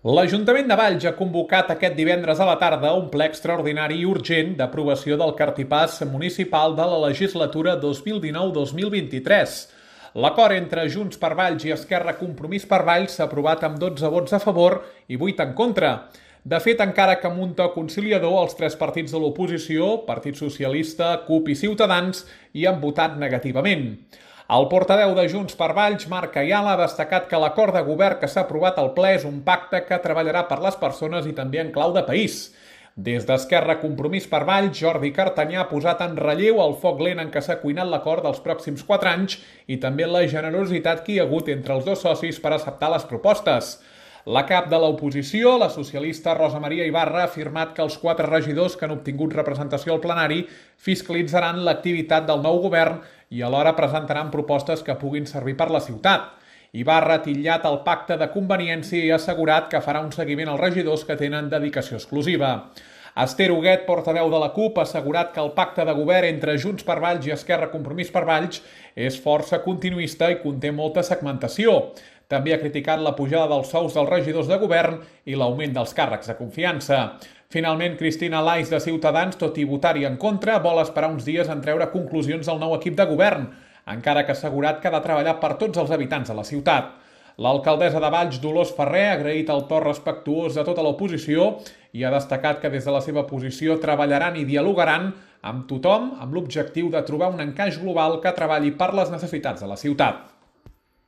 L'Ajuntament de Valls ha convocat aquest divendres a la tarda un ple extraordinari i urgent d'aprovació del cartipàs municipal de la legislatura 2019-2023. L'acord entre Junts per Valls i Esquerra Compromís per Valls s'ha aprovat amb 12 vots a favor i 8 en contra. De fet, encara que amb un to conciliador, els tres partits de l'oposició, Partit Socialista, CUP i Ciutadans, hi han votat negativament. El portaveu de Junts per Valls, Marc Ayala, ha destacat que l'acord de govern que s'ha aprovat al ple és un pacte que treballarà per les persones i també en clau de país. Des d'Esquerra Compromís per Valls, Jordi Cartanyà ha posat en relleu el foc lent en què s'ha cuinat l'acord dels pròxims 4 anys i també la generositat que hi ha hagut entre els dos socis per acceptar les propostes. La cap de l'oposició, la socialista Rosa Maria Ibarra, ha afirmat que els 4 regidors que han obtingut representació al plenari fiscalitzaran l'activitat del nou govern i alhora presentaran propostes que puguin servir per la ciutat. Ibarra ha titllat el pacte de conveniència i ha assegurat que farà un seguiment als regidors que tenen dedicació exclusiva. Esther Huguet, portaveu de la CUP, ha assegurat que el pacte de govern entre Junts per Valls i Esquerra Compromís per Valls és força continuista i conté molta segmentació. També ha criticat la pujada dels sous dels regidors de govern i l'augment dels càrrecs de confiança. Finalment, Cristina Lais de Ciutadans, tot i votar-hi en contra, vol esperar uns dies en treure conclusions del nou equip de govern, encara que ha assegurat que ha de treballar per tots els habitants de la ciutat. L'alcaldessa de Valls, Dolors Ferrer, ha agraït el to respectuós de tota l'oposició i ha destacat que des de la seva posició treballaran i dialogaran amb tothom amb l'objectiu de trobar un encaix global que treballi per les necessitats de la ciutat.